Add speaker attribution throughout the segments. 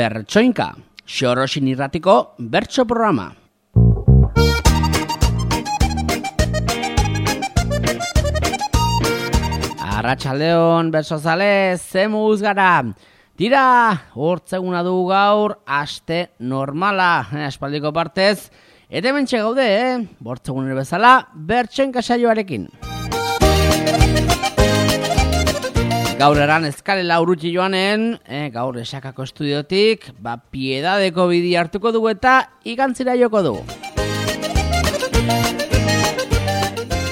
Speaker 1: Bertsoinka, Xorosin irratiko bertso programa. Arratsaldeon bertsozale, zemuz gara. Tira, hortzeguna du gaur, aste normala, espaldiko partez. Eta hementxe gaude, bortzegunero bezala, Bertsoinka saioarekin. Gaur eran eskalela urrutsi joanen, gaur esakako estudiotik, piedadeko bidi hartuko dugu eta igantzira joko dugu.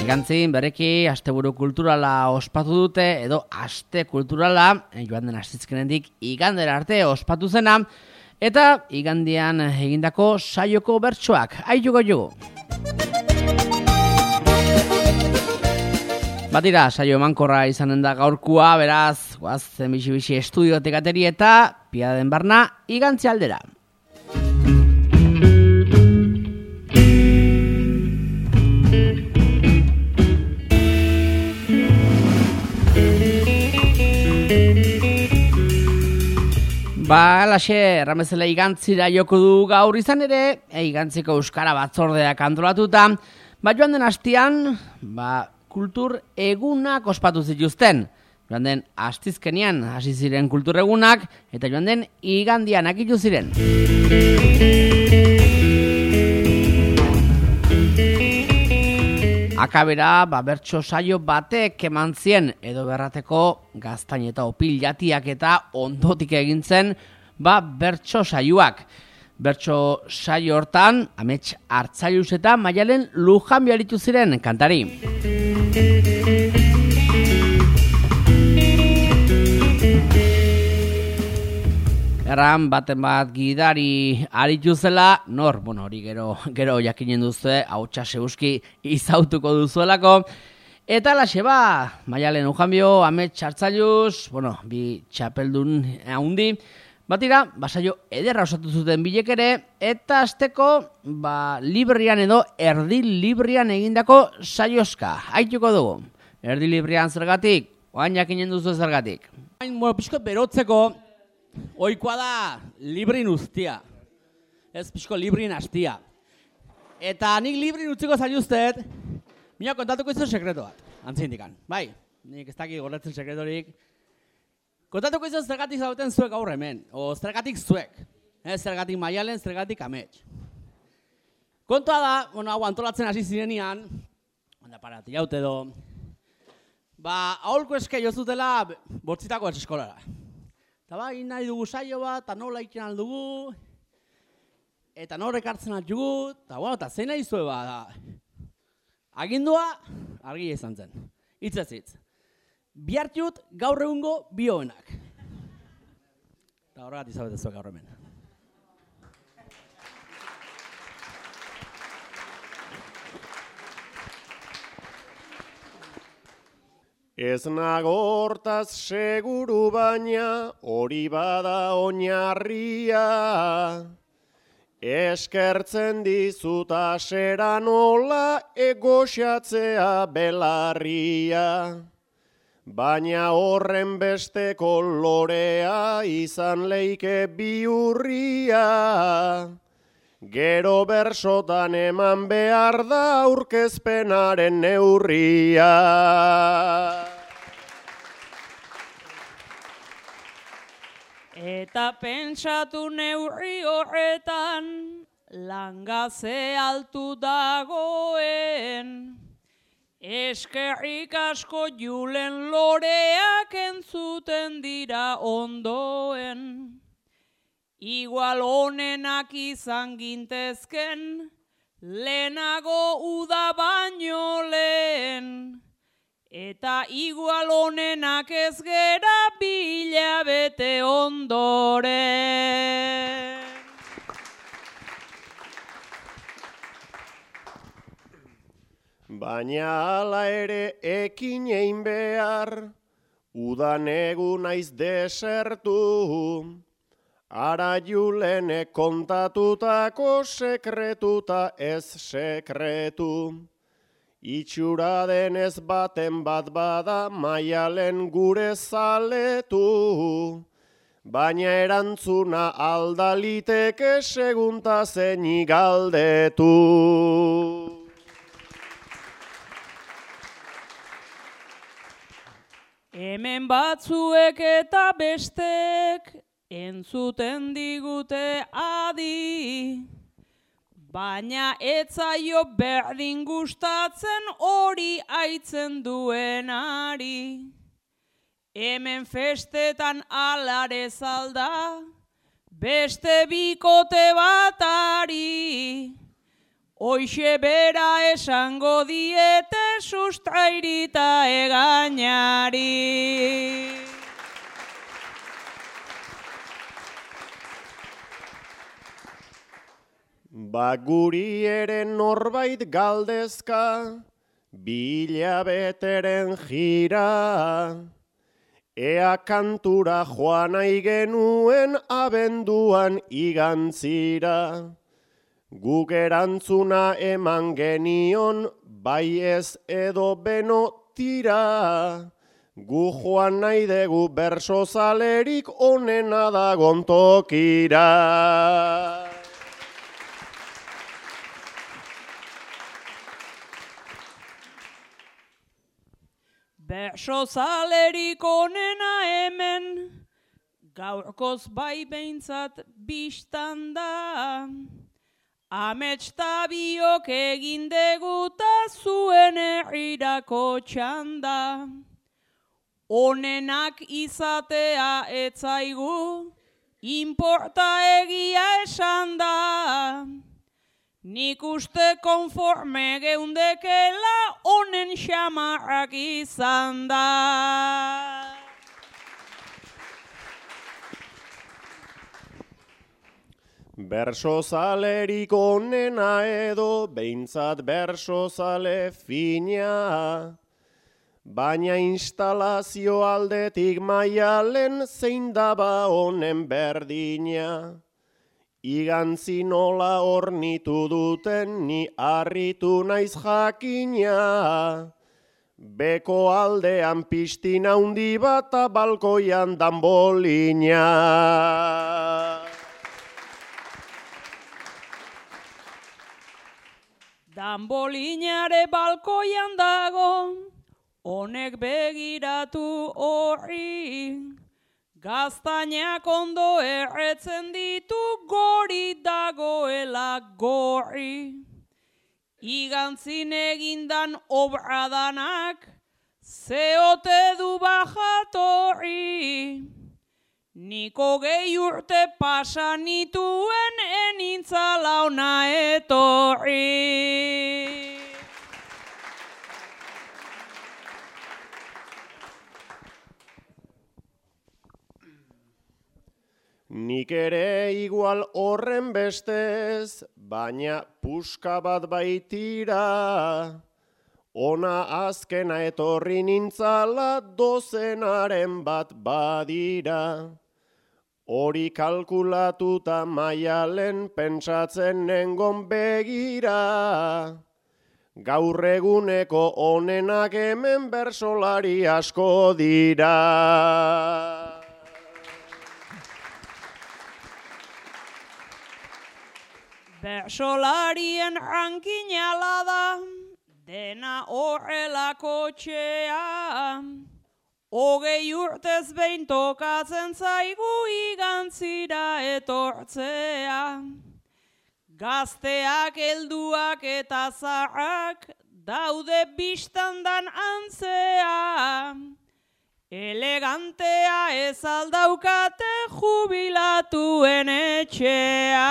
Speaker 1: Igantzin bereki asteburu kulturala ospatu dute, edo aste kulturala, joan den astizkenendik igandera arte ospatu zena, eta igandian egindako saioko bertsoak, aituko jugu. Batira, saio emankorra izanen da gaurkua, beraz, guazen bixi estudiotik ateri eta piaden barna igantzi aldera. Alaxe, erramezela igantzira joko du gaur izan ere, igantziko euskara batzordeak antolatuta, joan den hastian, kultur egunak ospatu zituzten. Joan den astizkenian hasi ziren kultur egunak, eta joan den igandian akitu ziren. Akabera, bertso saio batek eman zien, edo berrateko gaztain eta opil jatiak eta ondotik egintzen, bertso saioak. Bertso saio hortan, Amets Artzailuz eta Maialen Lujanbio aritu ziren kantari. Erran baten bat gidari aritu zela, hori gero jakinen duzue, hautsa seuski izautuko duzuelako. Eta laxe Maialen Lujanbio, Amets Artzailuz, bi txapeldun haundi, batira, saio ederra osatu zuten bilek ere, eta azteko, librian edo erdi librian egindako saioska. Aituko dugu. Erdi librian zergatik, oain jakinen duzu zergatik. Pixko berotzeko, oikoa da librin ustia. Ez pixko librin hastia. Eta nik librin utziko zailuztet, mina kontatuko izan sekreto bat, antzindikan. Nik ez dakik gorretzen sekretorik. Kontatuko izan zergatik zauten zuek gaur hemen, o zergatik zuek. Zergatik Maialen, zergatik Amets. Kontua da, hau antolatzen hasi zirenean, parati jaute edo, aholko eske jozutela bortzitako eskolara. Eta nahi dugu saio bat, eta nola iken aldugu, eta norek hartzen aldugu, eta zein nahi zue agindua, argia izan zen. Hitz ez hitz. Bihartiut gaur egungo bioenak. Eta horregat izabetezuek gaur hemen.
Speaker 2: Ez nago hortaz seguru baina hori bada oinarria. Eskertzen dizut asera nola egoxatzea belarria. Baina horren beste kolorea izan leike bihurria. Gero bersotan eman behar da aurkezpenaren neurria.
Speaker 3: Eta pentsatu neurri horretan, langaze altu dagoen. Eskerrik asko Julen loreak entzuten dira ondoen. Igual honenak izan gintezken, lehenago uda baino lehen. Eta igual honenak ez gera bilabete ondoren.
Speaker 2: Baina hala ere ekin egin behar, udan egun naiz desertu. Ara Julenek kontatutako sekretuta ez sekretu. Itxura denez baten bat bada Maialen gure zaletu. baina erantzuna aldaliteke segunta zeini galdetu.
Speaker 3: Hemen batzuek eta bestek entzuten digute adi, baina etzaio berdin gustatzen hori aitzen duenari. Hemen festetan alare zalda, beste bikote batari, hoixe bera esango diete sustrairita egainari.
Speaker 2: Guri ere norbait galdezka, bilabeteren jira, ea kantura joan nahi genuen abenduan igantzira. Guk erantzuna eman genion, bai ez edo beno tira. Gu joan nahi dugu berso zalerik onena dagon tokira.
Speaker 3: Berso zalerik onena hemen, gaurkoz bai behintzat bistan da. Amets tabiok egin deguta zuen herrirako txanda. Onenak izatea etzaigu, inporta egia esan da. Nik uste konforme geundekela onen xamarrak izan da.
Speaker 2: Berso zalerik onena edo behintzat berso zale fina, baina instalazio aldetik Maialen zein daba honen berdina. Igantzi nola hornitu duten ni harritu naiz jakina. Beko aldean pistina handi bat balkoian danbolina.
Speaker 3: Danbolinare balkoian dago, honek begiratu horri. Gaztainak ondo erretzen ditu gori dagoela gorri. Igantzin egindan obradanak, zeote du bajatorri. Niko gehi urte pasan nituen enintzala ona etorri.
Speaker 2: Nik ere igual horren bestez, baina puska bat baitira. Ona azkena etorri nintzala dozenaren bat badira. Hori kalkulatuta Maialen pentsatzen nengon begira. Gaur eguneko onenak hemen bersolari asko dira.
Speaker 3: Bersolarien rankinala da, dena horrelako txea. 20 urtez behin tokatzen zaigu igantzira etortzea. Gazteak, helduak eta zaharrak daude bistandan antzea. Elegantea ez aldaukate jubilatuen etxea.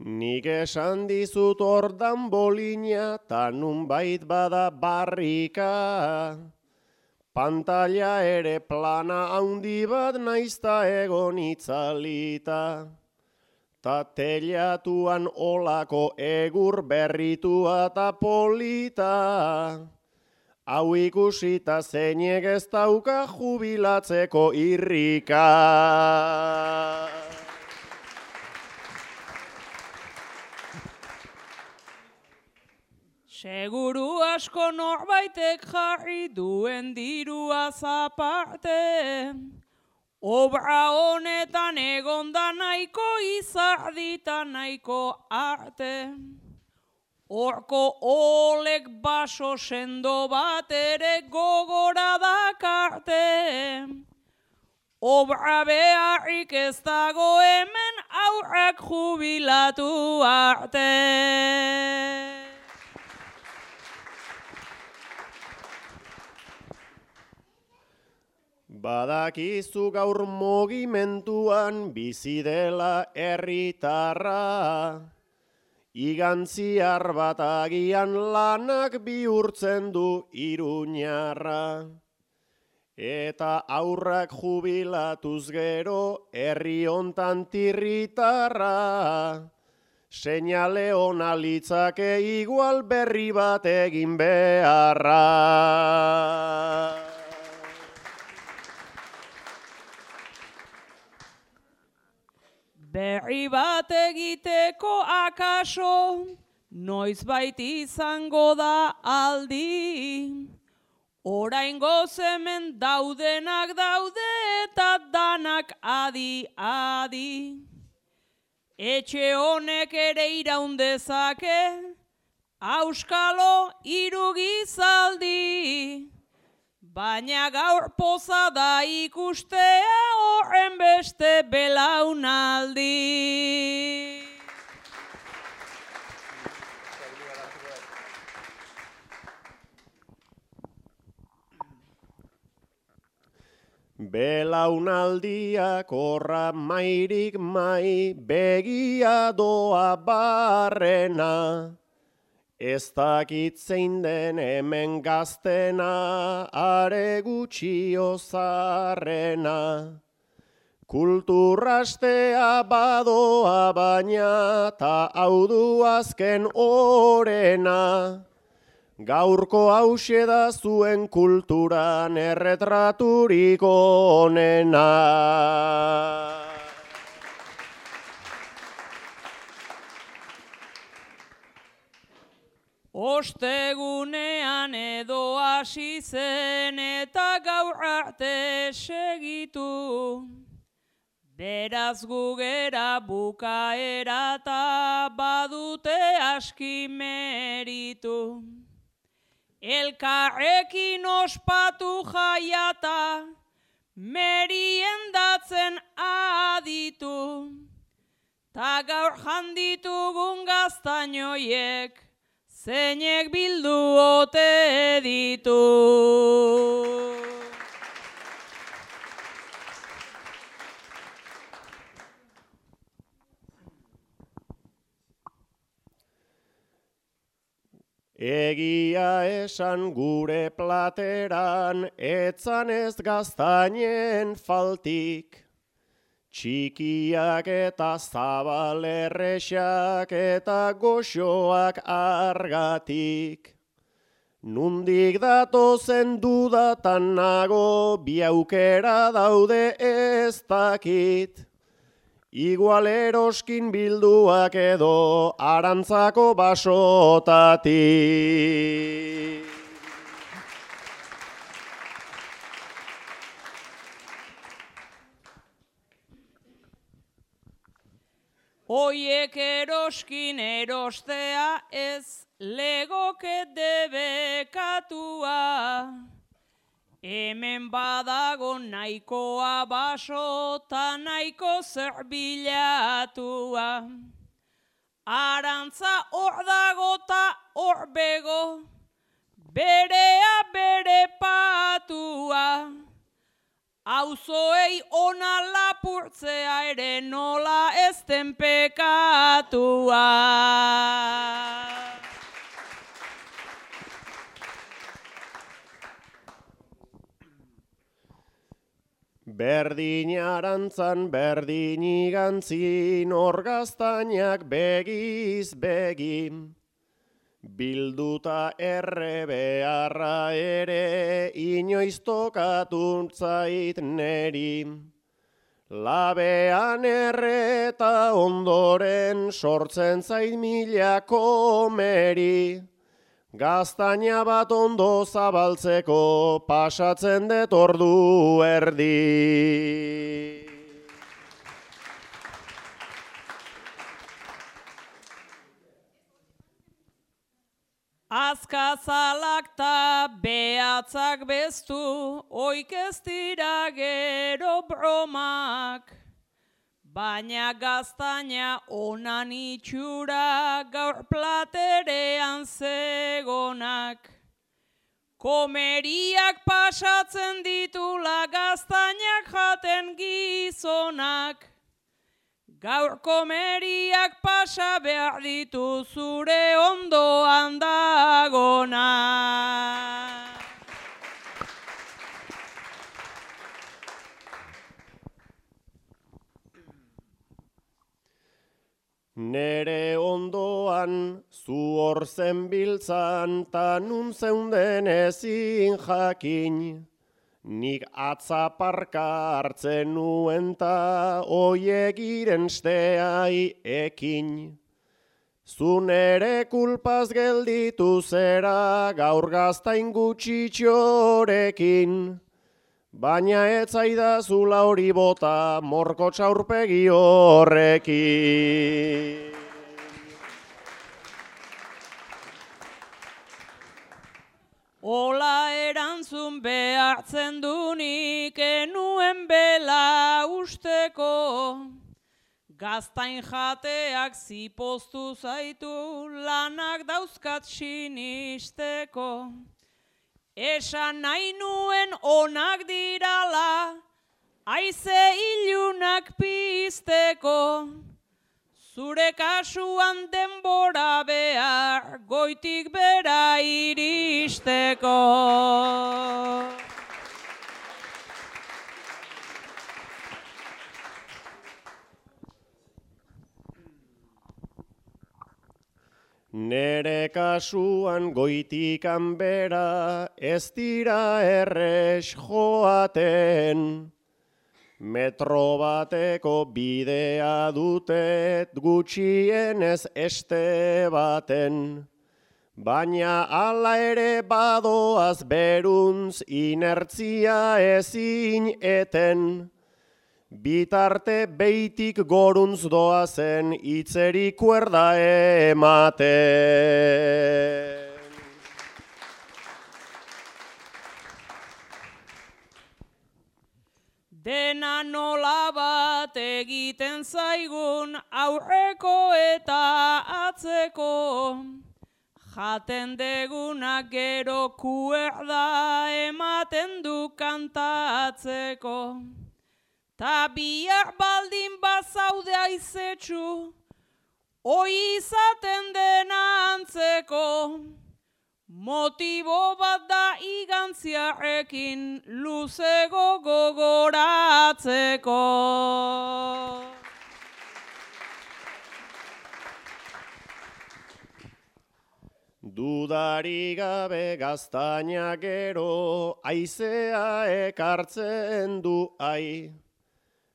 Speaker 2: Nik esan dizut ordan bolina, ta nunbait bada barrika. Pantalla ere plana handi bat naizta egon itzalita. Ta telatuan olako egur berritua ta polita. Hau ikusita zeinek ez dauka jubilatzeko irrika.
Speaker 3: Seguru asko norbaitek jarri duen dirua zaparte, obra honetan egonda nahiko izardita nahiko arte. Horko olek baso sendo bat ere gogora dakarte. Obra beharrik ez dago hemen aurrak jubilatu arte.
Speaker 2: Badakizu gaur mugimenduan bizi dela herritarra, igantziar bat agian lanak bihurtzen du iruñarra. Eta aurrak jubilatuz gero herri hontan tirritarra, seinale ona litzake igual berri bat egin beharra.
Speaker 3: Berri bat egiteko akaso, noizbait izango da aldi. Oraingoz hemen daudenak daude eta danak adi-adi. Etxe honek ere iraun dezake, auskalo irugizaldi. Baina gaur poza da ikustea horren beste belaunaldi.
Speaker 2: Belaunaldiak horra mairik mai, begia doa barrena. Ez dakit zein den hemen gaztena, are gutxio zarrena. Kulturastea badoa baina, ta hau du azken orena. Gaurko hauxe da zuen kulturan erretraturiko onena.
Speaker 3: Ostegunean edo hasi zen eta gaur arte segitu. Beraz gugera bukaera eta badute aski meritu. Elkarrekin ospatu jaiata, meriendatzen aditu. Ta gaur janditugun gaztainoiek, zeinek bildu ote ditu.
Speaker 2: Egia esan gure plateran, etzan ez gaztainen faltik. Txikiak eta zabalerrexak eta goxoak argatik. Nundik datozen dudatan nago, bi aukera daude ez dakit. Igual eroskin bilduak edo arantzako basotatik.
Speaker 3: Oiek eroskin erostea ez legoke debekatua. Hemen badago nahikoa baso ta nahiko zerbilatua. Arantza hor dago ta hor bego, berea bere patua. Auzoei ona lapurtzea ere nola ez den pekatua.
Speaker 2: Berdin arantzan, berdin igantzin, hor gaztainak begiz begin. Bilduta erre beharra ere, inoiz tokatu zait neri. Labean erre eta ondoren, sortzen zait mila komeri. Gaztaina bat ondo zabaltzeko pasatzen dut ordu erdi.
Speaker 3: Azkazalak ta behatzak beztu, oik ez dira gero bromak. Baina gaztaina onan itxura gaur platerean zegonak. Komeriak pasatzen ditula gaztainak jaten gizonak. Gaur komeriak pasa behar ditu zure ondoan dagonak.
Speaker 2: Nere ondoan zu hor zenbiltzan ta nun zeunden ezin jakin. Nik atzaparka hartzen nuen ta oiegiren steai ekin. Zu nere kulpaz gelditu zera gaur gaztain gutxitxorekin. Baina ez zaidazula hori bota morko txaurpegi horrekin.
Speaker 3: Ola erantzun behartzen dunik enuen bela usteko. Gaztain jateak zipoztu zaitu lanak dauzkat sinisteko. Esan nahi nuen onak dirala, aize ilunak pizteko. Zure kasuan denbora behar, goitik bera iristeko.
Speaker 2: Nere kasuan goitikan bera ez dira erres joaten. Metro bateko bidea dutet gutxienez este baten. Baina hala ere badoaz beruntz inertzia ezin eten. Bitarte beitik goruntz doazen itzeri kuerda ematen.
Speaker 3: Dena nola bat egiten zaigun aurreko eta atzeko. Jaten degunak gero kuerda ematen du kantatzeko. Ta bihar baldin bazaude aizetxu, oi izaten dena antzeko. Motibo bat da igantziarekin luzego gogoratzeko.
Speaker 2: Dudari gabe gaztaina gero aizea ekartzen du ai.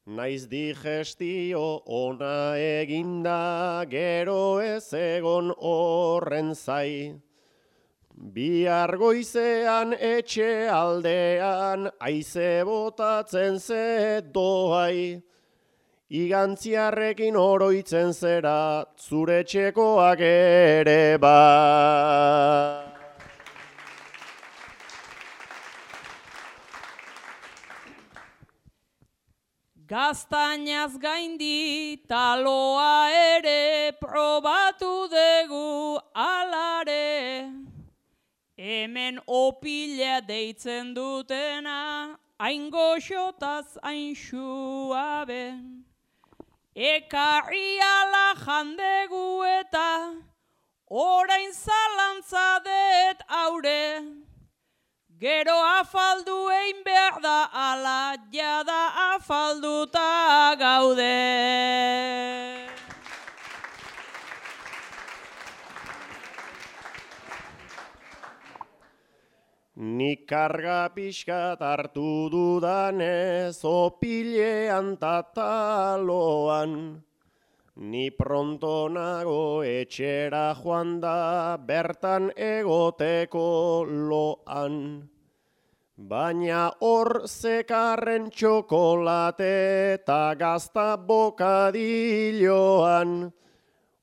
Speaker 2: Naiz digestio ona eginda gero ez egon horren zai. Bihar goizean etxe aldean aize botatzen ze doai. Igantziarrekin oroitzen zera zure txekoak ere ba.
Speaker 3: Gaztainaz gaindi taloa ere probatu dugu alare. Hemen opila deitzen dutena, hain goxotaz hain suabe. Ekarri ala jandegu eta orain zalantza det aure. Gero afaldu egin behar da ala jada afalduta gaude.
Speaker 2: Nik karga pixkat hartu dudanez opilean tataloan. Ni pronto nago etxera joan da bertan egoteko loan. Baina hor zekarren txokolate eta gazta bokadilloan.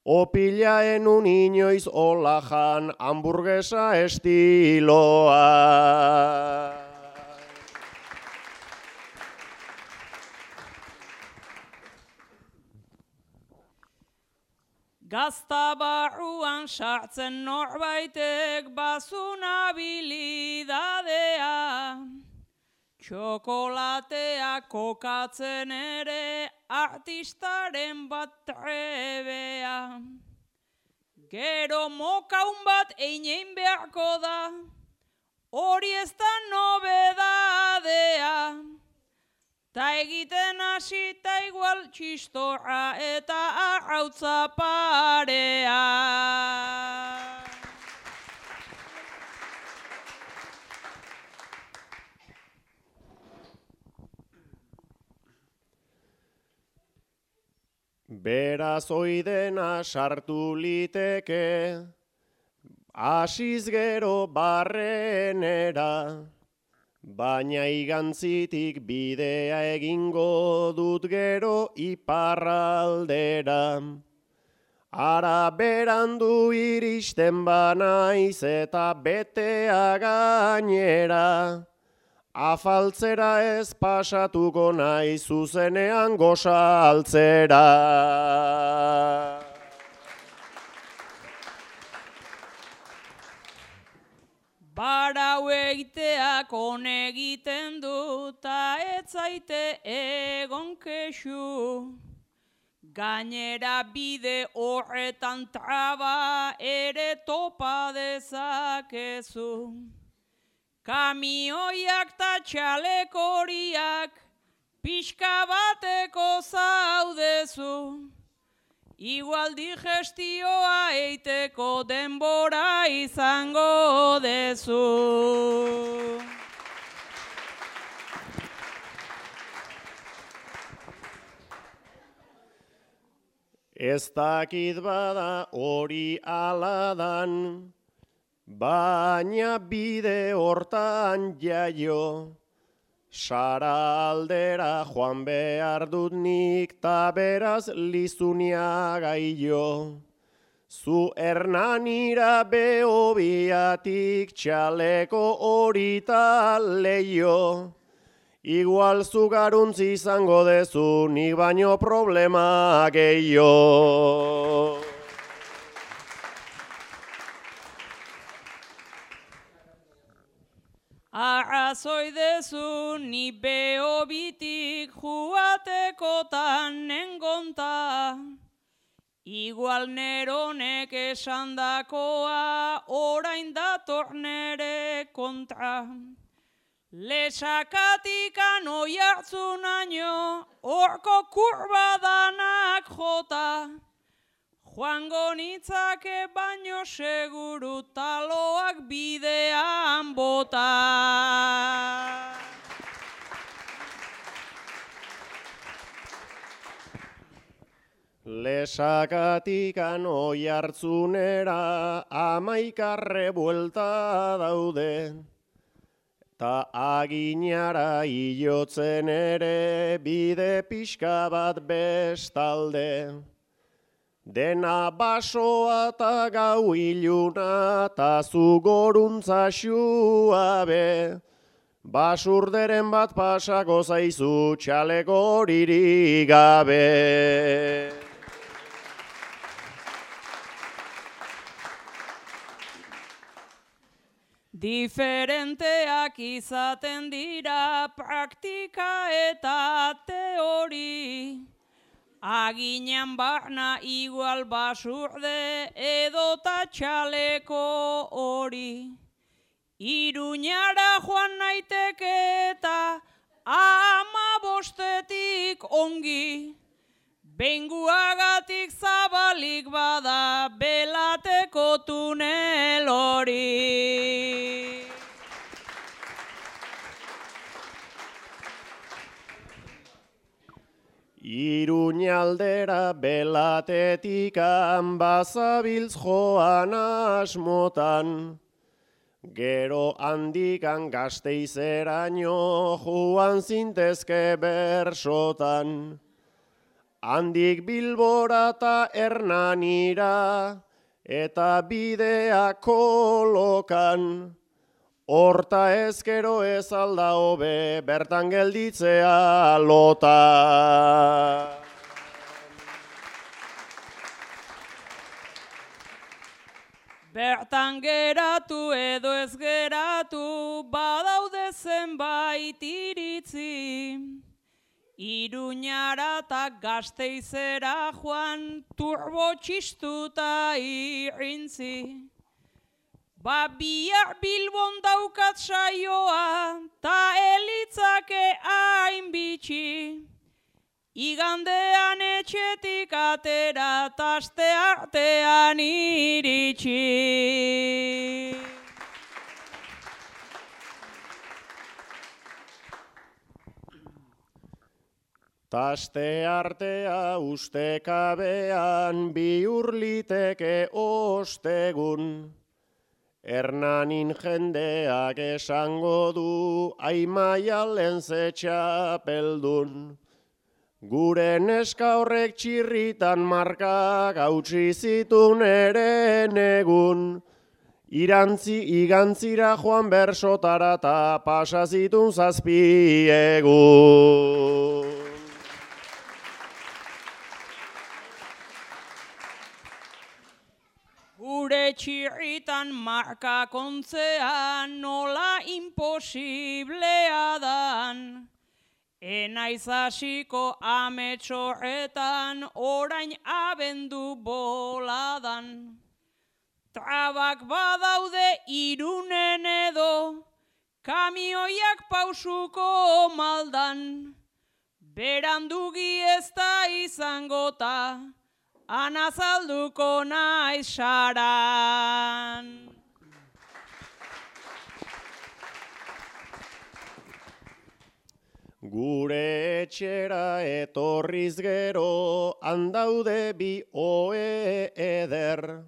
Speaker 2: Opilaen un inoiz olajan hamburguesa estiloa.
Speaker 3: Gazta barruan sartzen norbaitek bazun habilidadea. Txokolatea kokatzen ere artistaren bat trebea. Gero mokaun bat einein beharko da, hori ez da nobedadea. Ta egiten hasita igual txistorra eta arrautza parea.
Speaker 2: Beraz oidena sartu liteke, hasiz gero barrenera. Baina igantzitik bidea egingo dut gero iparraldera. Ara berandu iristen banaiz eta betea gainera. Afaltzera ez pasatuko naiz zuzenean gosaltzera.
Speaker 3: Barau egiteak egiten du, ta ez zaite egon kexu. Gainera bide horretan traba ere topa dezakezu. Kamioiak ta txalekoriak pixka bateko zaudezu. Igual digestioa eiteko denbora izango dezu.
Speaker 2: Ez dakit bada hori aladan, baina bide hortan jaio. Sara aldera joan behar dut nik ta beraz lizunia gaio. Zu Hernanira Behobiatik txaleko horita leio. Igual zu garuntzi izango dezu nik baino problema gehiago.
Speaker 3: Arrazoi dezu ni Behobitik juatekotan nengonta. Igual neronek esandakoa orain dator nere kontra. Lesakatikan oiartzunaino horko kurbadanak jota. Joango nitzake baino seguru taloak bidean bota.
Speaker 2: Lesakatikan oiartzunera 11 buelta daude. Ta aginara hilotzen ere bide pixka bat bestalde. Dena basoa ta gau iluna ta zu goruntza xuabe. Basurderen bat pasako zaizu txaleko horirik gabe.
Speaker 3: Diferenteak izaten dira praktika eta teori. Aginan barna igual basurde edota txaleko hori. Iruñara joan naiteke eta 15 ongi. Benguagatik zabalik bada belateko tunel hori.
Speaker 2: Iruñaldera belatetikan bazabiltz joan asmotan. Gero handikan Gasteizeraino joan zintezke bersotan. Handik Bilbora eta Hernanira eta bidea kolokan. Horta ezkero ez alda hobe bertan gelditzea lota.
Speaker 3: Bertan geratu edo ez geratu, badaude zenbait iritzi. Iruñara eta Gasteizera joan turbo txistuta irrintzi. Bihar Bilbon daukat saioa, ta elitzake hain bitxi. Igandean etxetik atera, taste artean iritsi.
Speaker 2: Taste artea ustekabean bihur liteke ostegun. Hernanin jendeak esango du Aimaialen ze txapeldun. Gure neska horrek txirritan markak hautsi zitun eren egun. Igantzira joan bersotara ta pasa zitun 7 egun.
Speaker 3: Gure txirritan marka kontzean nola imposiblea dan. Enaiz hasiko ametxorretan orain abendu boladan. Trabak badaude Irunen edo, kamioiak pausuko maldan. Berandugi ez da izangota, anazalduko naiz saran.
Speaker 2: Gure etxera etorriz gero, handaude bi oe eder.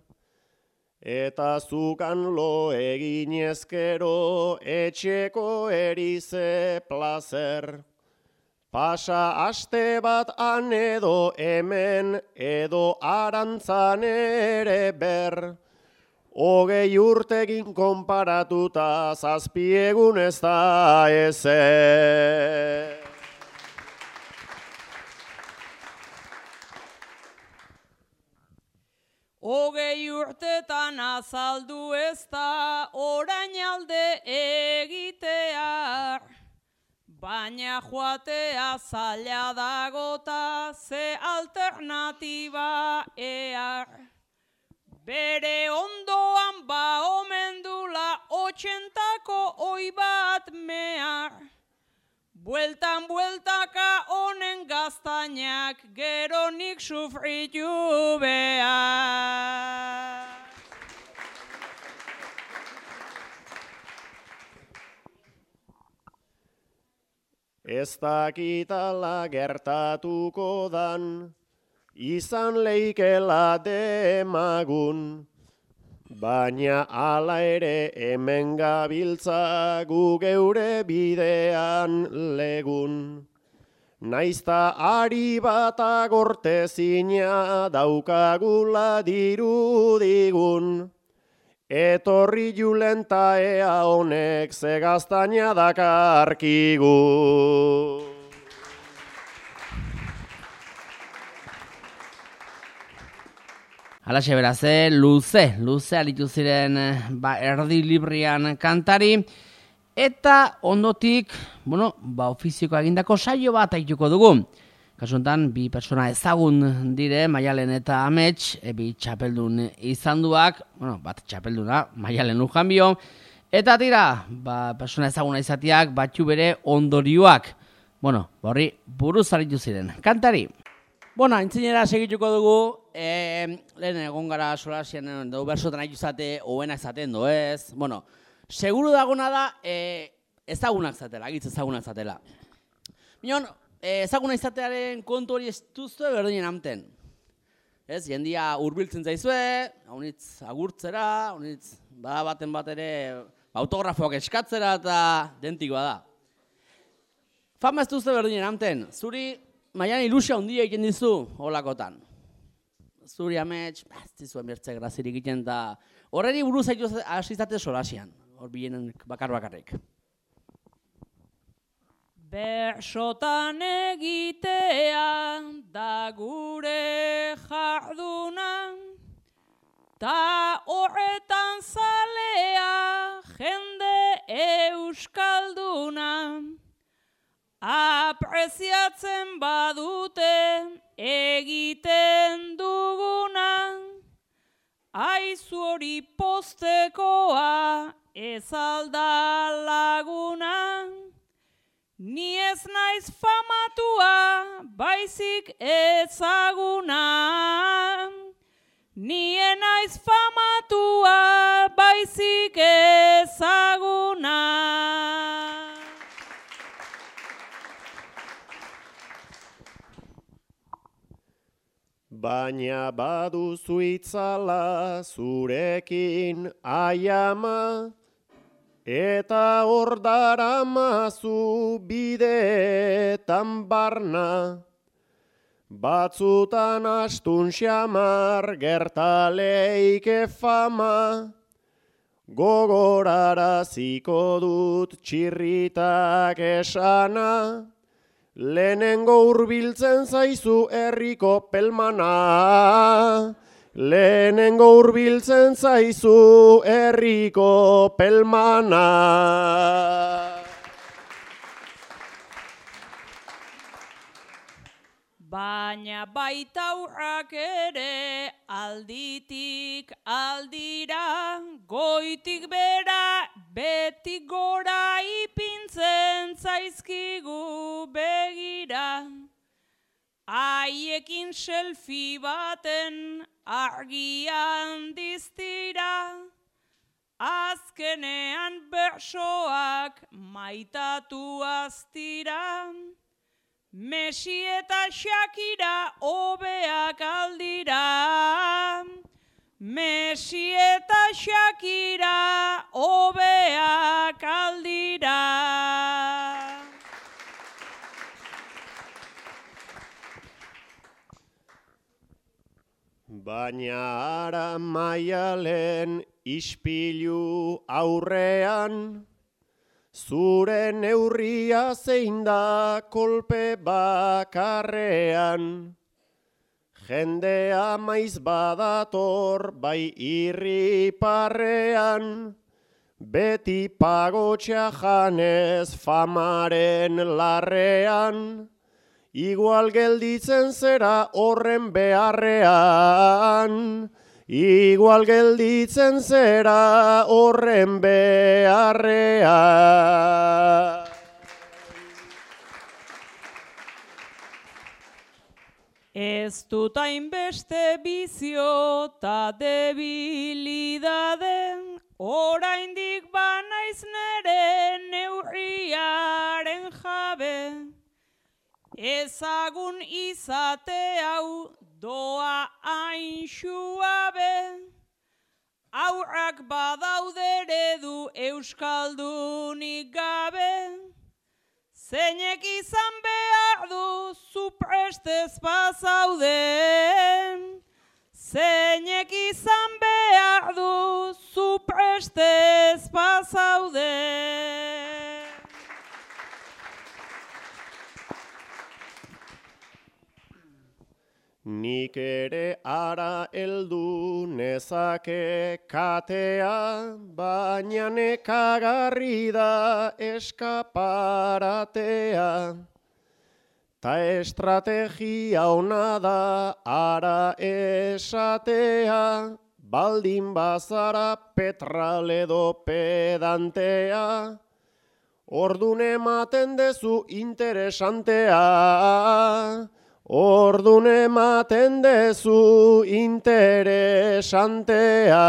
Speaker 2: Eta zukan lo eginezkero, etxeko erize plazer. Pasa aste bat han edo hemen, edo arantzan ere ber. 20 urtegin konparatuta 7 egun ez da ezer.
Speaker 3: Hogei urtetan azaldu ez da orain alde egitear. Baina joatea zaila dagota ze alternatiba ear. Bere ondoan ba omen dula 80ko oi bat mehar. Bueltan bueltaka honen gaztainak gero nik sufritu behar.
Speaker 2: Ez dakitala gertatuko dan, izan leikela demagun, baina hala ere hemen gabiltza gu geure bidean legun. Naizta ari bat agortezina daukagula dirudigun, etorri julenta ea honek ze gaztaina dakarkigu.
Speaker 1: Halaxe beraz, luze aritu ziren erdi librian kantari, eta ondotik, ofizioko egindako saio bat aituko dugu. Kasu honetan, 2 pertsona ezagun dire, Maialen eta Amets, bi txapeldun izanduak, bat txapelduna, Maialen Lujanbio, eta tira, pertsona ezaguna izatiak, batxu bere ondorioak. Horri buruz aritu ziren. Kantari! Aintzinera segituko dugu, lehen egon gara solasien dugu bersotan haitu zate, hoenak zaten doez. Seguru dagona da ezagunak zatela, agitz ezagunak zatela. Minon, ezaguna izatearen kontu hori ez duzue berdinen amten. Ez, jendia hurbiltzen zaizue, haunitz agurtzera, haunitz baten bat ere autografoak eskatzera eta dentikoa da. Fama ez duzue berdinen amten, zuri maian ilusia handia egiten dizu holakotan. Zuri amets, ez dizuen bertze grazirik egiten da, horreri buruz hasi izate solasian, hor bienen bakarrik.
Speaker 3: Bersotan egitea da gure jarduna, ta horretan zalea jende euskalduna. Apreziatzen badute egiten duguna, aizu hori postekoa ez alda laguna. Ni ez naiz famatua, baizik ezaguna. Ni ez naiz famatua, baizik ezaguna.
Speaker 2: Baina baduzu itzala zurekin aiama, eta hor daramazu bideetan barna. Batzutan astun xamar gertaleike fama, gogoraraziko dut txirritak esana. Lehenengo hurbiltzen zaizu herriko pelmana. Lehenengo hurbiltzen zaizu herriko pelmana.
Speaker 3: Baina baitaurrak ere alditik aldira, goitik bera, betik gora ipintzen zaizkigu begira. Haiekin selfie baten argian diztira, azkenean bersoak maitatu aztira. Messi eta Shakira hobeak aldira. Messi eta Shakira hobeak aldira.
Speaker 2: Baina ara Maialen ispilu aurrean, zure neurria zein da kolpe bakarrean. Jendea maiz badator bai irriparrean, beti pagotxea janez famaren larrean. Igual gelditzen zera horren beharrean, igual gelditzen zera horren beharrean.
Speaker 3: Ez dut hainbeste bizio ta debilidade, oraindik banaiz nere neurriaren jabe. Ezagun izate hau doa hain suabe, aurrak badaude eredu euskaldunik gabe. Zeinek izan behar du zu prestez bazaude, zeinek izan behar du zu prestez bazaude.
Speaker 2: Nik ere ara heldu nezake katea, baina nekagarri da eskaparatea. Ta estrategia ona da ara esatea, baldin bazara petraledo pedantea. Ordun ematen dezu interesantea, ordun ematen dezu interesantea.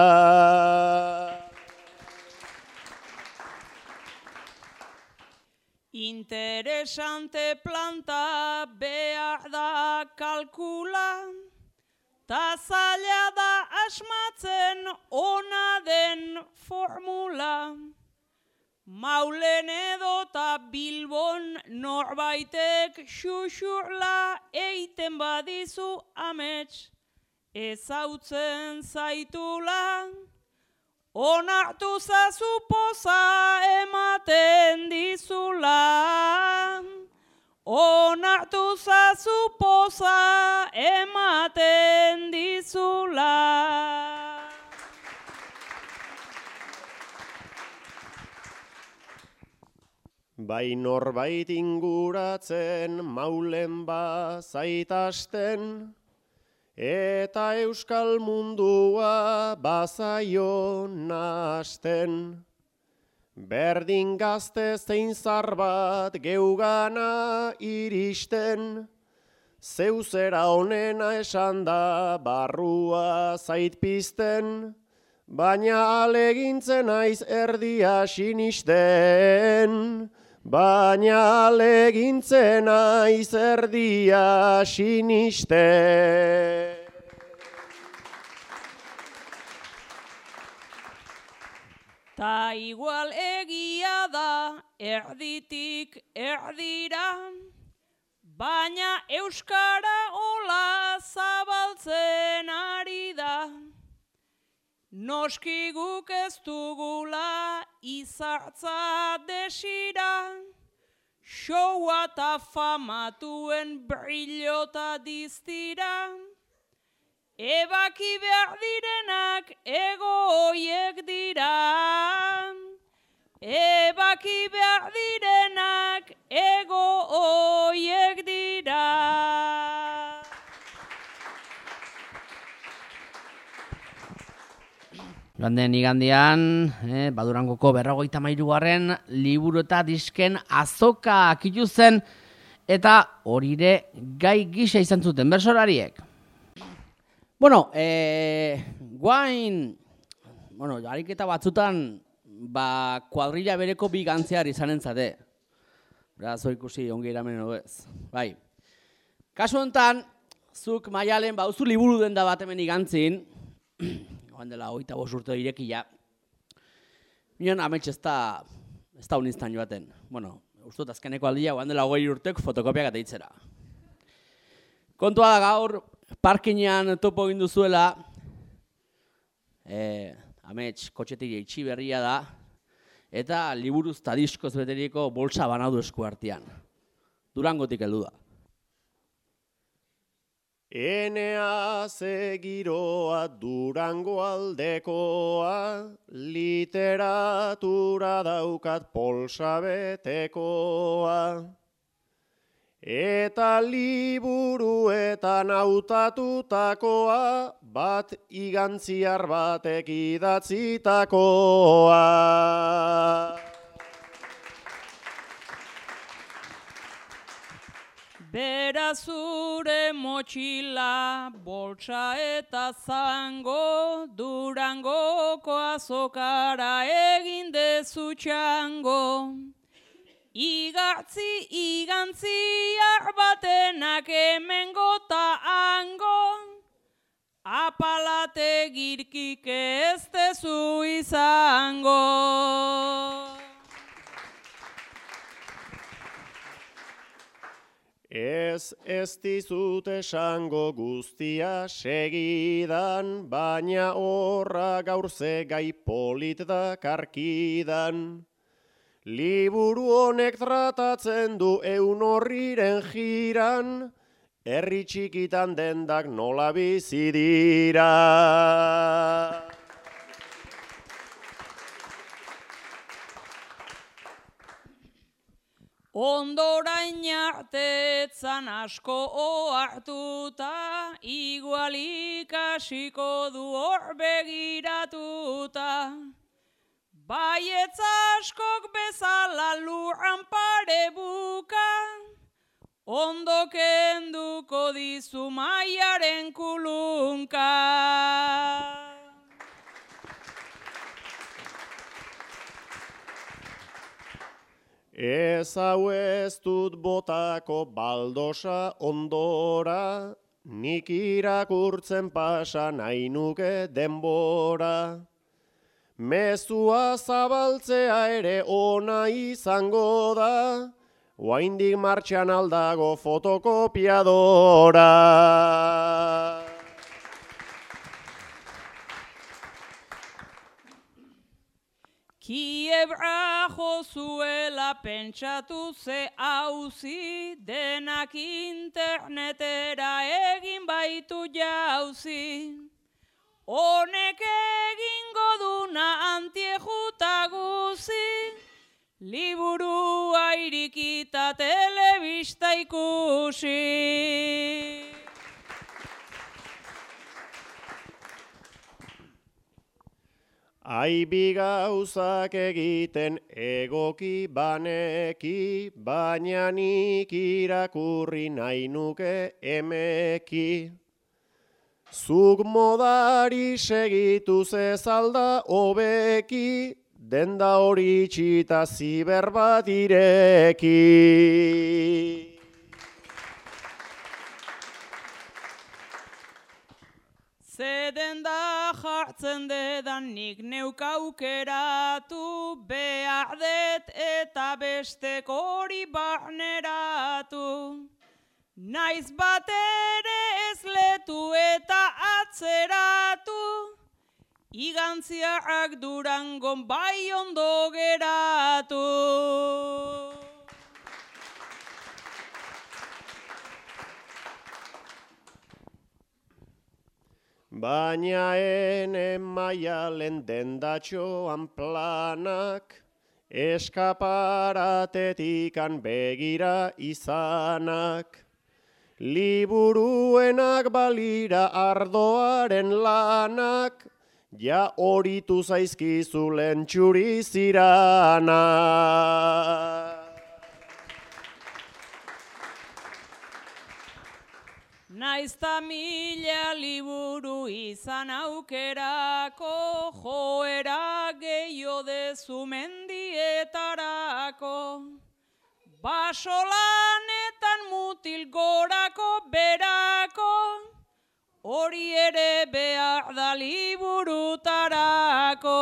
Speaker 3: Interesante planta behar da kalkula, ta zaila da asmatzen ona den formula. Maulen edota Bilbon norbaitek xuxurla eiten badizu amets, ezautzen zaitula. Onartu zazu poza ematen dizula. Onartu zazu poza ematen dizula.
Speaker 2: Bai norbait inguratzen maulen bazaitasten, eta euskal mundua bazaio nahasten. Berdin gazte zein zar bat geugana iristen, zeuzera honena esan da barrua zait pizten, baina alegintzen naiz erdia sinisten. Baina alegintzen naiz erdia sinisten.
Speaker 3: Ta igual egia da erditik erdira, baina euskara hola zabaltzen ari da. Noski guk ez dugula izartza desira, showa ta famatuen brillota diztira. Ebaki behar direnak ego hoiek dira. Ebaki behar direnak ego hoiek dira.
Speaker 1: Joan den igandean, Badurangoko 53. liburu eta disken azoka akitu zen, eta horire gai gisa izan zuten bersolariek. Bueno, guain, ariketa batzutan, kuadrilla bereko bi gantzear izanen zate. Beraz, ikusi ongi eramen ez. Bai. Kasu honetan, zuk Maialen bauzu liburu den da bat hemen igantzin, joan dela 25 urte irekia, minon amets ez da unistan joaten. Bueno, ustut azkeneko aldia, joan dela 20 urtek fotokopiak ateitzera. Kontua da gaur, parkinean topo egin duzuela, amets kotxetik eitxi berria da, eta liburuz eta diskoz beteriko bolsa banadu esku artean. Durangotik heldu da.
Speaker 2: Enea zegiroa Durango aldekoa, literatura daukat polsa betekoa. Eta liburuetan hautatutakoa, bat igantziar batek idatzitakoa.
Speaker 3: Bera zure motxila, boltsa eta zango, Durangoko azokara egin dezu txango. Igantziar batenak hemengo ta hango, apalate girkik ez dezu izango.
Speaker 2: Ez dizut esango guztia segidan, baina horra gaurze gai polit da karkidan. Liburu honek tratatzen du eun horriren jiran, herri txikitan dendak nola bizi dira.
Speaker 3: Ondorain artetzan asko ohartuta, igual ikasiko du hor begiratuta. Baietz askok bezala lurran pare buka, ondo kenduko dizu maiaren kulunka.
Speaker 2: Ez hau ez dut botako baldosa ondora, nik irakurtzen pasa nahi nuke denbora. Mezua zabaltzea ere ona izango da, oraindik martxan aldago fotokopiadora.
Speaker 3: Kiebra jozuela pentsatu ze hauzi, denak internetera egin baitu jauzi. Honek egingo duna antiejuta guzi, liburua irikita telebista ikusi.
Speaker 2: Aibi gauzak egiten egoki baneki, baina nik irakurri nahi nuke emeki. Zuk modari segitu zezalda hobeki, denda hori itxita ziber bat ireki.
Speaker 3: Zeden da jartzen dedan nik neuk aukeratu, behar det eta bestek hori barneratu. Naiz bat ere ez letu eta atzeratu, igantziarrak Durangon bai ondo geratu.
Speaker 2: Baina ene maialen dendatxoan planak, eskaparatetik begira izanak. Liburuenak balira ardoaren lanak, ja horitu zaizkizu lentxuri ziranak.
Speaker 3: Naizta mila liburu izan aukerako, joera gehiago dezu mendietarako. Basolanetan mutil gorako berako, hori ere behar da liburutarako.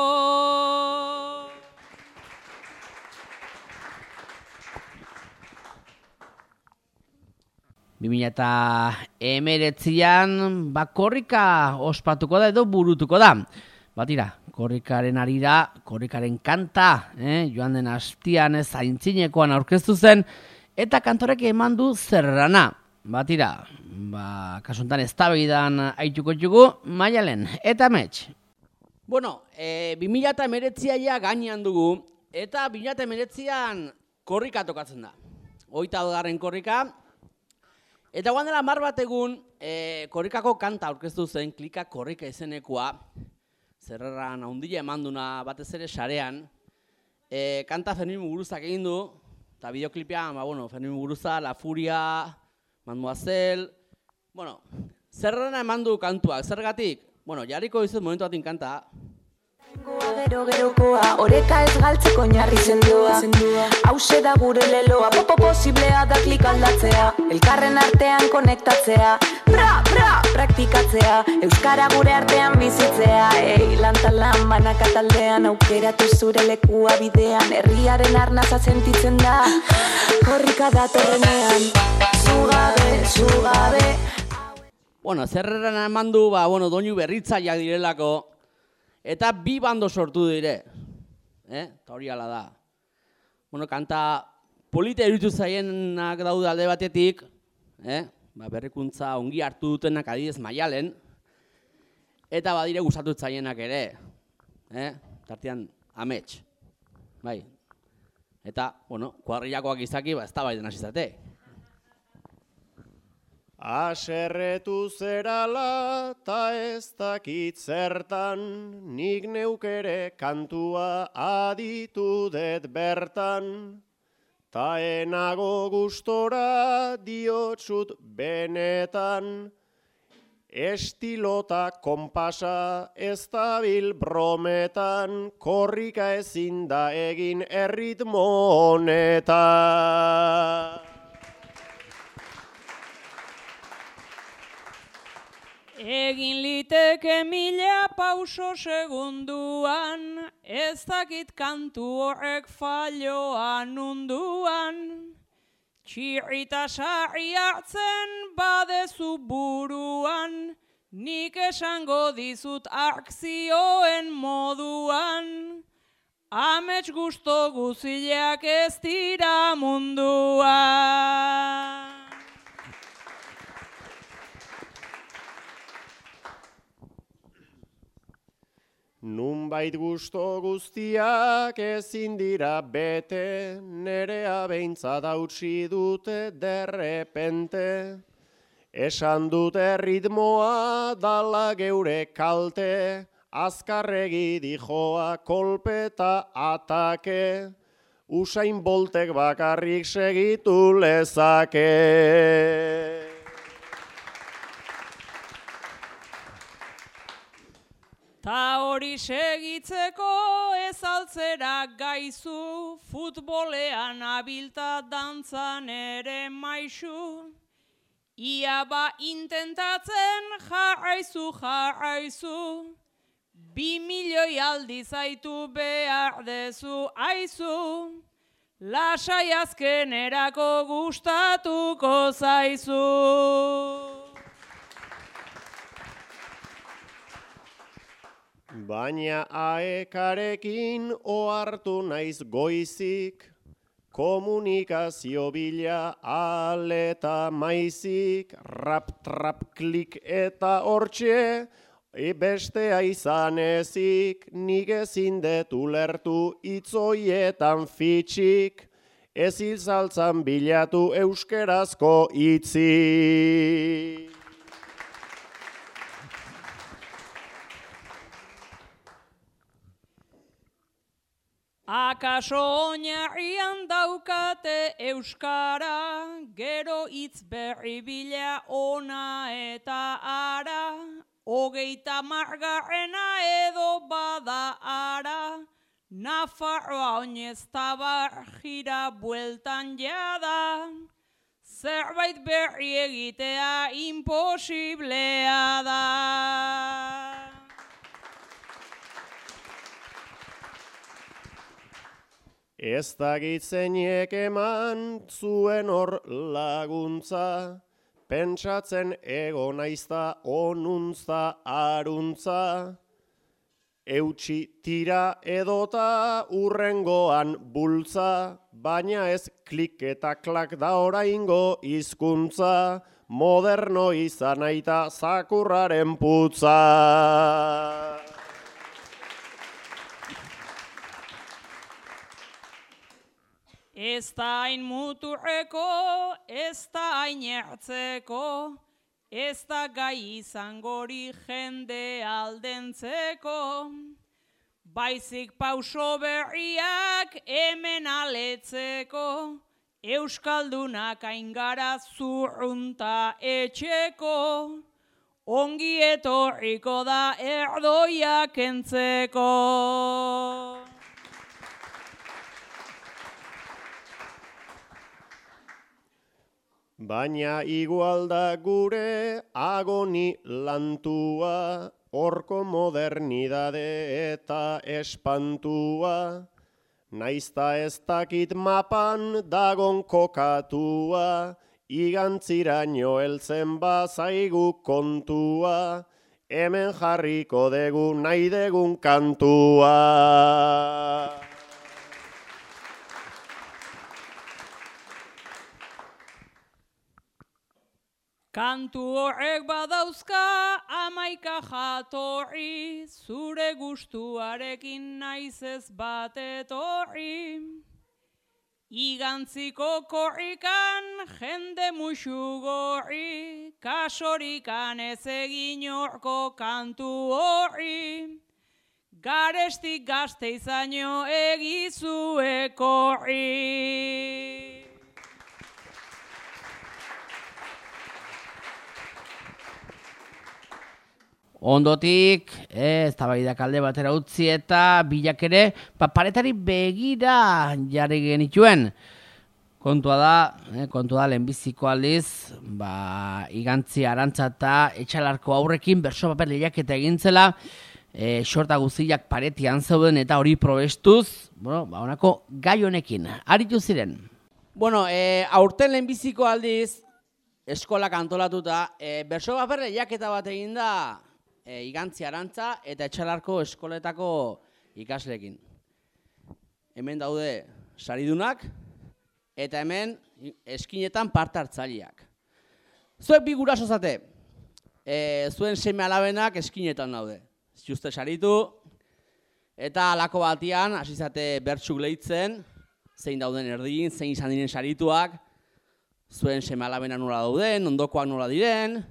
Speaker 1: ...2019an korrika ospatuko da edo burutuko da. Batira, korrikaren arira, korrikaren kanta, joan den astian zaintzinekoan aurkeztu zen, eta kantorek eman du zerrana. Batira, kasuntan eztabaidan aituko dugu, Maialen, eta Amets. Bueno, 2019a ja gainean dugu, eta 2019an korrika tokatzen da. 22. korrika. Eta guan dela 10 bat egun, korrikako kanta aurkeztu zen, klika korrika izenekoa, zerreran haundila emanduna batez ere sarean, kanta Fermin Muguruzak egin du, eta bideoklipean, Fermin Muguruza, La Furia, Mademoiselle, zerrena emandu kantuak, zergatik? Jarriko izuz momentu batin kanta.
Speaker 4: Gerokoa, oreka ez galtzeko oinarri sendoa. Hauxe da gure leloa, posiblea da klik aldatzea, elkarren artean konektatzea, praktikatzea, euskara gure artean bizitzea. Lantalan banaka taldean, aukeratu zure lekua bidean, herriaren arnaza sentitzen da, korrika datorrenean, zugabe.
Speaker 1: Zerreran emandu, doinu berritzaileak direlako, eta 2 bando sortu dire. Eta hori ala da. Kanta polita iruditu zaienak daude alde batetik, berrikuntza ongi hartu dutenak adidez Maialen, eta badire gustatu zaienak ere. Tartean Amets. Bai. Eta, kuadrillakoak izaki, ez da baiden hasizate.
Speaker 2: Aserretu zerala ta ez dakit zertan, nik neukere kantua aditu det bertan. Ta enago gustora diotsut benetan, Estilota konpasa ez dabil brometan, korrika ezin da egin erritmo honetan.
Speaker 3: Egin liteke 1000 pauso segunduan, ez dakit kantu horrek falloan unduan. Txirrita sarri hartzen badezu buruan, nik esango dizut akzioen moduan. Amets gusto guzileak ez dira munduan.
Speaker 2: Nunbait gusto guztiak ezin dira bete, nerea behintzat hautsi dute derrepente. Esan dute ritmoa dala geure kalte, azkarregi dijoa kolpeta atake, Usain Boltek bakarrik segitu lezake.
Speaker 3: Ta hori segitzeko ez altzera gaizu, futbolean abilta dantzan ere maisu. Ia ba intentatzen jarraizu, 2 milioi aldi zaitu behar dezu, aizu. Lasai azkenerako gustatuko zaizu.
Speaker 2: Baina aekarekin ohartu naiz goizik, komunikazio bila aleta maizik, rap, trap, klik eta hortxe, bestea izan ezik, nik ezin dut ulertu itzoietan fitxik, ez izaltzan bilatu euskerazko hitzik.
Speaker 3: Akaso oinarrian daukate euskara, gero hitz berri bila ona eta ara, 30. edo bada ara, Nafarroa oinez tabar jira bueltan jada, zerbait berri egitea imposiblea da.
Speaker 2: Ez dakit zeinek eman zuen hor laguntza, pentsatzen ego naizta onuntza aruntza. Eutsi tira edota urrengoan bultza, baina ez klik eta klak da oraingo hizkuntza, moderno izan aita zakurraren putza.
Speaker 3: Ez da hain muturreko, ez da hain ertzeko, ez da gai izangori jende aldentzeko. Baizik pauso berriak hemen aletzeko, euskaldunak aingara zurrunta etxeko, ongi etorriko da erdoiak entzeko.
Speaker 2: Baina igual da gure agoni lantua, horko modernidade eta espantua, naizta ez dakit mapan dagon kokatua, igantziraino heltzen bazaigu kontua, hemen jarriko dugu nahi degun kantua.
Speaker 3: Kantu horrek badauzka 11 jatorri, zure gustuarekin naiz ez bat etorri. Igantziko korrikan jende muxu gorri, kasorikan ez egin horko kantu horri. Garestik gazte izaino egizu ekorri.
Speaker 1: Ondotik, eztabaidak alde batera utzi eta bilak ere paretari begira jarri genituen. Kontua da lehenbiziko aldiz, Igantzi Arantza eta Etxalarko aurrekin bertso paper lehiaketa egintzela, sorta guztiak paretian zeuden eta hori probestuz, honako gai honekin, aritu ziren. Aurten lehenbiziko aldiz, eskolak antolatuta, bertso paper lehiaketa bat egin da Igantzi Arantza eta Etxalarko eskoletako ikasleekin. Hemen daude saridunak, eta hemen eskinetan parte hartzaileak. Zuek bi guraso zate, zuen seme alabenak eskinetan daude. Juste saritu, eta halako batian, hasi zate bertsuk lehitzen, zein dauden erdin, zein izan diren sarituak, zuen seme alabena nola dauden, ondokoak nola diren,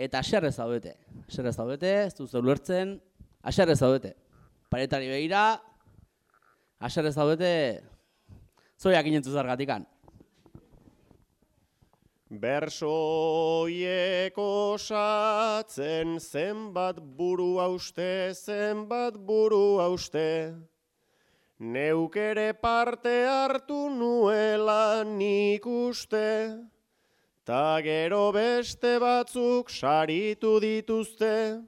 Speaker 1: eta aserrez zaudete. Ez duzu ulertzen, aserrez zaudete. Paretari begira, aserrez zaudete, zoiak inentzu zargatikan.
Speaker 2: Bersoiek osatzen zenbat buru hauste, neuk ere parte hartu nuela nik uste, ta gero beste batzuk saritu dituzte,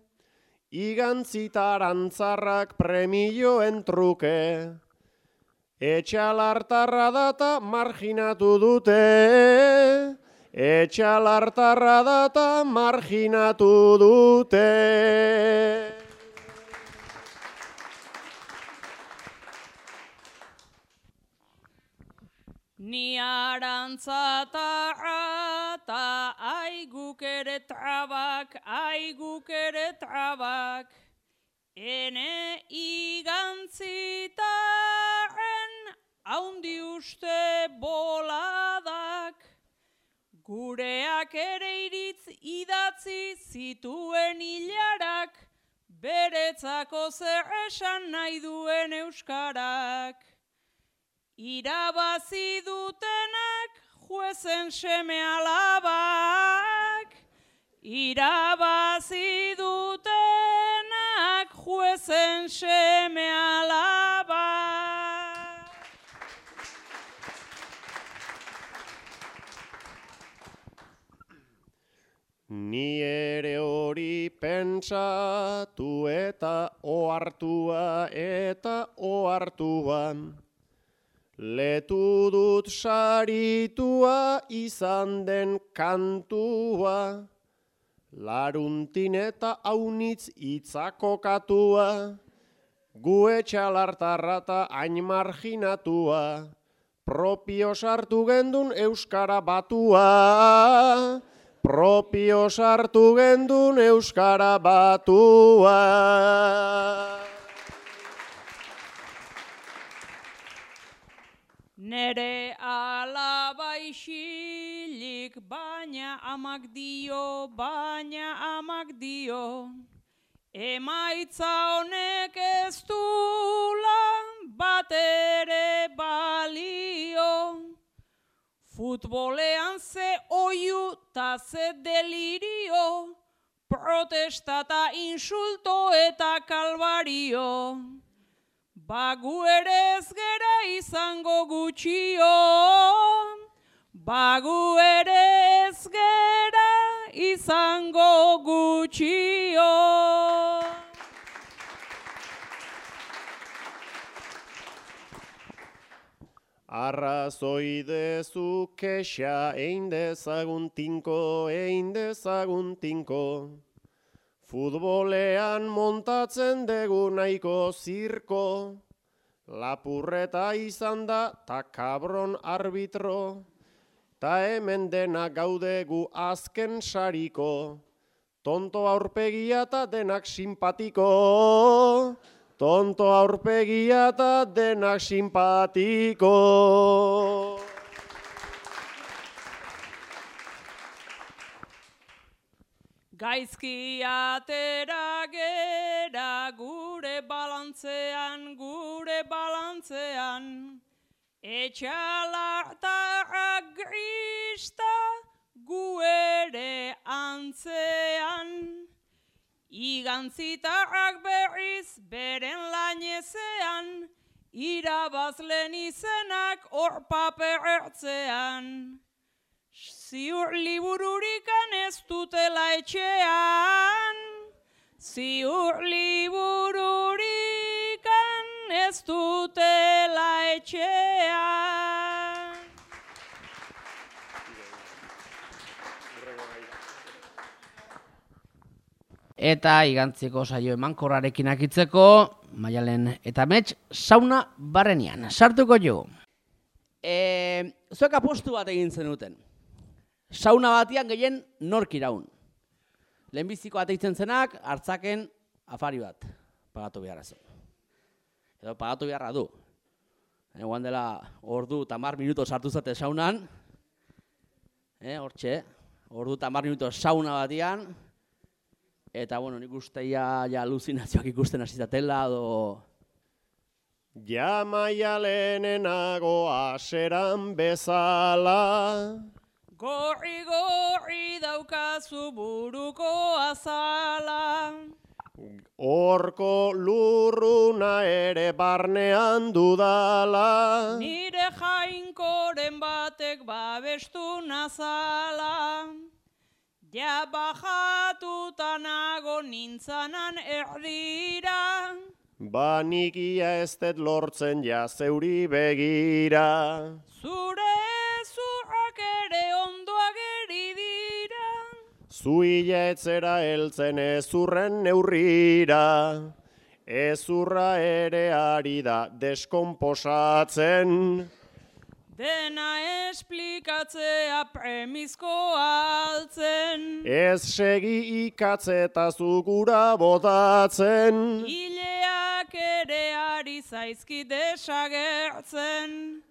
Speaker 2: Igantzi ta Arantzarrak premioen truke, Etxalartarra data marginatu dute, Etxalartarra data marginatu dute.
Speaker 3: Ni Arantza ta aiguk ere trabak, ene Igantzitaren haundi uste boladak, gureak ere iritz idatzi zituen hilarak, beretzako zer esan nahi duen euskarak. Irabazi dutenak juezen seme alabak, irabazi dutenak juezen seme alabak.
Speaker 2: Ni ere hori pentsatu eta ohartuan, letu dut saritua izan den kantua, laruntin eta aunitz itzako katua, gu Etxalartarra ta hain marginatua, propio sartu gendun euskara batua, propio sartu gendun euskara batua.
Speaker 3: Nere alaba isilik, baina amak dio, emaitza honek ez dula batere balio. Futbolean ze oiu ta ze delirio, protesta ta insulto eta kalbario. Bagu ere ez gera izango gutxio, bagu ere ez gera izango gutxio.
Speaker 2: Arrazoi dezu kexa ein dezagun tinko, futbolean montatzen dugu nahiko zirko, lapurreta izan da ta kabron arbitro, ta hemen dena gaudegu azken sariko, tonto aurpegia ta denak simpatiko, tonto aurpegia ta denak simpatiko.
Speaker 3: Gaizki atera gera gure balantzean, Etxalartarra grista gu ere antzean, Igantzitarrak berriz beren lainezean, irabazlen izenak hor papertzean. Ziur libururikan ez dutela etxean, ziur libururikan ez dutela etxean.
Speaker 1: Eta igantziko saio emankorrarekin akitzeko, Maialen eta Mets, sauna barrenian. Sartuko jo. Zuek apostu bat egin zenuten. Sauna batian gehien nork iraun. Lehenbiziko bat eitzen zenak, hartzaken afari bat. Pagatu beharra zen. Edo pagatu beharra du. Egoan dela ordu eta 10 minuto sartu zate saunan. Hortxe, ordu eta 10 minuto sauna batian. Eta, bueno, nik uste ja aluzinazioak ikusten hasizatela, edo...
Speaker 2: Ja Maialenenago aseran bezala,
Speaker 3: Gorri daukazu buruko azala,
Speaker 2: horko lurruna ere barnean dudala,
Speaker 3: nire jainkoren batek babestu nazala. Ja bajatuta nago nintzanan erdira,
Speaker 2: banikia ez dut lortzen ja zeuri begira.
Speaker 3: zure zurrak ere ondo ageri dira.
Speaker 2: Zuila etzera heltzen ezurren neurrira, ezurra ere ari da deskonposatzen.
Speaker 3: Dena esplikatzea premizkoa altzen.
Speaker 2: Ez segi ikatzeta zugura botatzen.
Speaker 3: Hileak ere ari zaizkit desagertzen.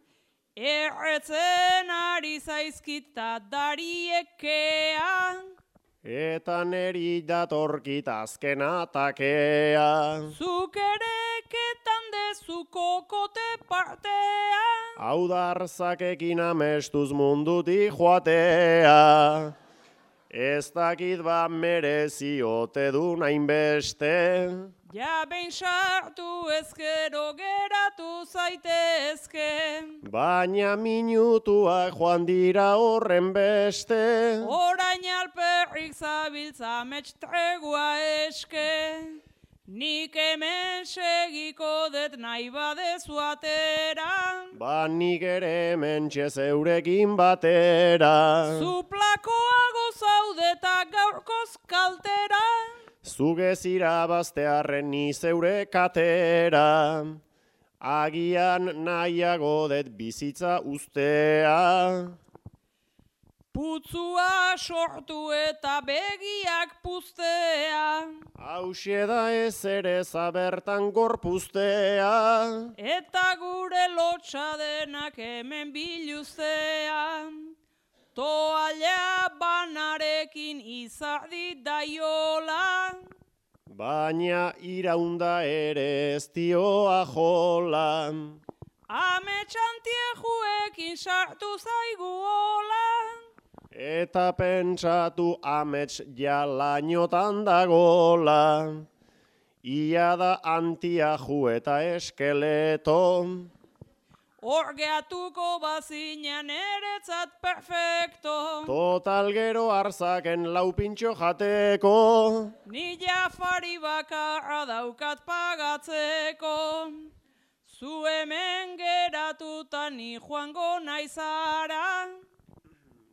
Speaker 3: Erretzen ari zaizkita dariekea.
Speaker 2: Eta neri datorkit azken atakea.
Speaker 3: Zuk ere ketan dezu kokote partea.
Speaker 2: Hau da arzakekin amestuz mundutik joatea. Ez dakit ba merezi ote du hainbeste.
Speaker 3: Ja behin sartu ezkero geratu zaitezke.
Speaker 2: Baina minutuak joan dira horren beste.
Speaker 3: Orain alperrik zabiltza mets tregua eske. Nik hemen segiko det nahi badezu atera.
Speaker 2: Ba nik ere hementxe zeurekin batera.
Speaker 3: Zuplakoago zaudeta gaurkoz kaltera.
Speaker 2: Zugez irabaztearren ni zeure katera. Agian nahiago det bizitza ustea.
Speaker 3: Putzua sortu eta begiak puztea.
Speaker 2: Hauxe da ez ere zabertan gorpuztea.
Speaker 3: Eta gure lotxa denak hemen biluztea. Toalla banarekin izardi daiola.
Speaker 2: Baina iraunda ere ez dioa jola.
Speaker 3: Ametxantiejuekin sartu zaigu hola.
Speaker 2: Eta pentsatu amets ja lainotan dagola. Ia da antiaju eta eskeleto.
Speaker 3: Orgeatuko bazinan eretzat perfecto.
Speaker 2: Total gero arzaken lau pintxo jateko.
Speaker 3: Ni jafari bakarra daukat pagatzeko. Zu hemen geratuta ni joango naizara.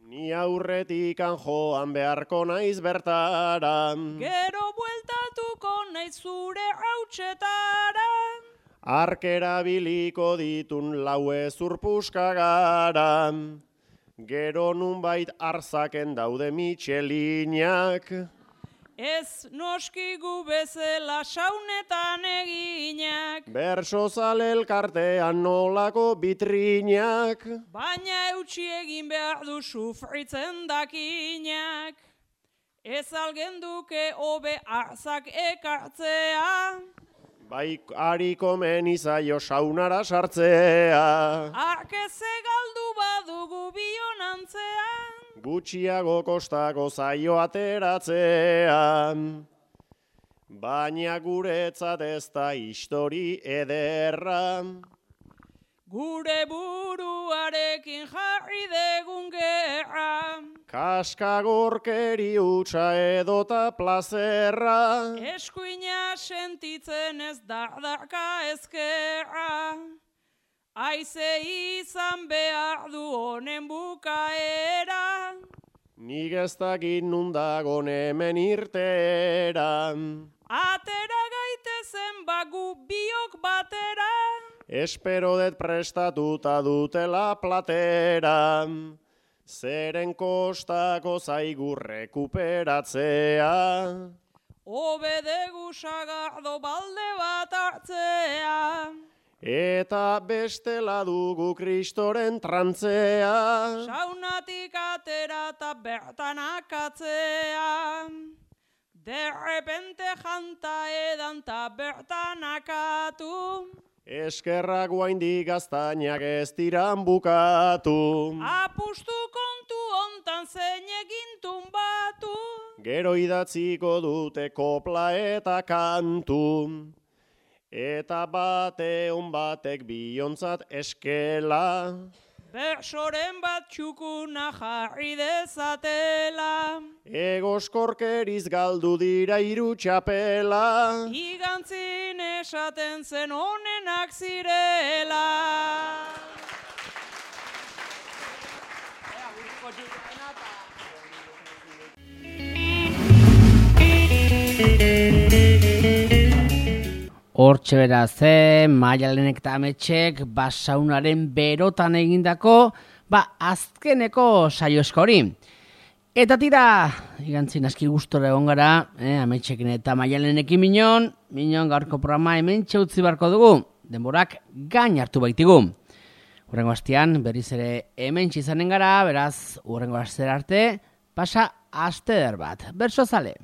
Speaker 2: Ni aurretikan joan beharko naiz bertara.
Speaker 3: Gero bueltatuko naiz zure hautsetara.
Speaker 2: Arkera biliko ditun lau ezurpuska gara. Gero nunbait arzaken daude mitxelinak.
Speaker 3: Ez noski gu bezala saunetan eginak.
Speaker 2: Bersozale elkartean nolako bitrinak.
Speaker 3: Baina eutxi egin behar du sufritzen dakinak. Ez algenduke hobe arzak ekartzea.
Speaker 2: Bai hariko menizaio saunara sartzea.
Speaker 3: Arkeze galdu badugu bionantzean.
Speaker 2: Gutxiago kostako zaio ateratzea. baina guretzat ez da histori ederra.
Speaker 3: Gure buruarekin jarri degun gerra.
Speaker 2: Kaskagorkeri hutsa edota plazerra.
Speaker 3: Eskuina sentitzen ez dardaka ezkerra. Aize izan behar du honen bukaera.
Speaker 2: Nik ez dakit nundagon hemen irtera.
Speaker 3: Atera gaitezen bagu biok batera.
Speaker 2: Espero det prestatuta dutela platera. Zeren kostako zaigu rekuperatzea.
Speaker 3: Obedegu sagardo balde bat hartzea.
Speaker 2: Eta bestela dugu Kristoren trantzea.
Speaker 3: Saunatik atera eta bertan akatzea. Derrepente janta edan eta bertan akatu.
Speaker 2: Eskerrak guaindik gaztainak ez diran bukatu.
Speaker 3: Apustu kontu hontan zein egintun batu.
Speaker 2: Gero idatziko dute kopla eta kantu. Eta bateun batek biontzat eskela.
Speaker 3: Bersoren bat txukuna jarri dezatela.
Speaker 2: Egoskorkeriz galdu dira hiru txapela.
Speaker 3: Igantzin esaten zen honenak zirela.
Speaker 1: Hortxe beraz, Maialenek eta Ametxek Basaunaren berotan egindako, azkeneko saioesko hori. Eta tira, igantzin aski gustora egon gara, Ametxekin eta Maialenekin minon gaurko programa hemen txautzi barko dugu, denborak gain hartu baitigu. Hurrengo hastian, berriz ere hemen txizanen gara, beraz, hurrengo hastera arte, pasa aste eder bat. Berso zale!